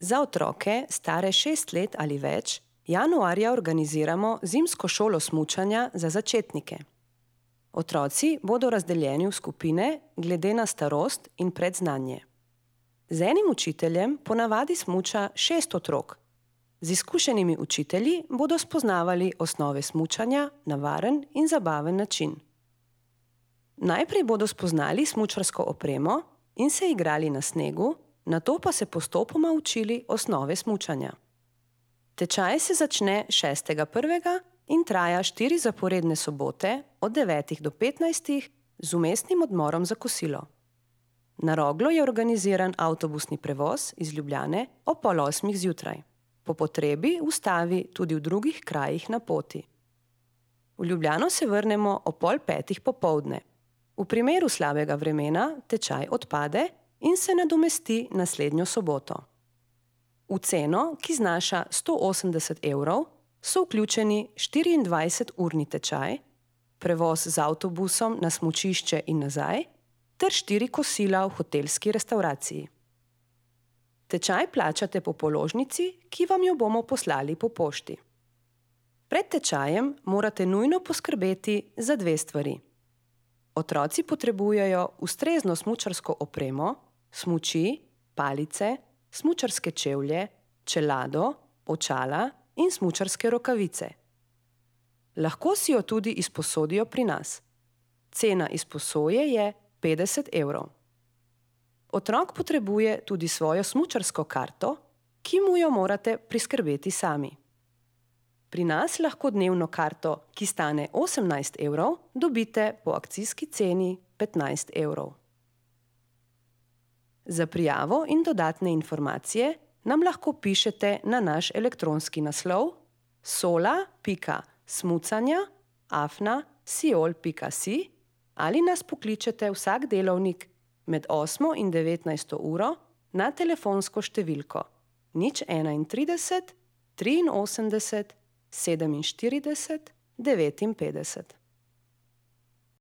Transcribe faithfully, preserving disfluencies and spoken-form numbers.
Za otroke, stare šest let ali več, januarja organiziramo zimsko šolo smučanja za začetnike. Otroci bodo razdeljeni v skupine glede na starost in predznanje. Z enim učiteljem ponavadi smuča šest otrok. Z izkušenimi učitelji bodo spoznavali osnove smučanja na varen in zabaven način. Najprej bodo spoznali smučarsko opremo in se igrali na snegu, nato pa se postopoma učili osnove smučanja. Tečaj se začne šestega prvega in traja štiri zaporedne sobote od devetih do petnajstih z vmesnim odmorom za kosilo. Na Roglo je organiziran avtobusni prevoz iz Ljubljane ob pol osmih zjutraj. Po potrebi ustavi tudi v drugih krajih na poti. V Ljubljano se vrnemo ob pol petih popoldne. V primeru slabega vremena tečaj odpade in se nadomesti naslednjo soboto. V ceno, ki znaša sto osemdeset evrov, so vključeni štiriindvajseturni tečaj, prevoz z avtobusom na smučišče in nazaj ter štiri kosila v hotelski restavraciji. Tečaj plačate po položnici, ki vam jo bomo poslali po pošti. Pred tečajem morate nujno poskrbeti za dve stvari. Otroci potrebujejo ustrezno smučarsko opremo, smuči, palice, smučarske čevlje, čelado, očala in smučarske rokavice. Lahko si jo tudi izposodijo pri nas. Cena izposoje je petdeset evrov. Otrok potrebuje tudi svojo smučarsko karto, ki mu jo morate priskrbeti sami. Pri nas lahko dnevno karto, ki stane osemnajst evrov, dobite po akcijski ceni petnajst evrov. Za prijavo in dodatne informacije nam lahko pišete na naš elektronski naslov sola pika smucanja afna siol pika si ali nas pokličete vsak delovnik med osmo in devetnajsto uro na telefonsko številko nič enaintrideset triinosemdeset sedeminštirideset devetinpetdeset.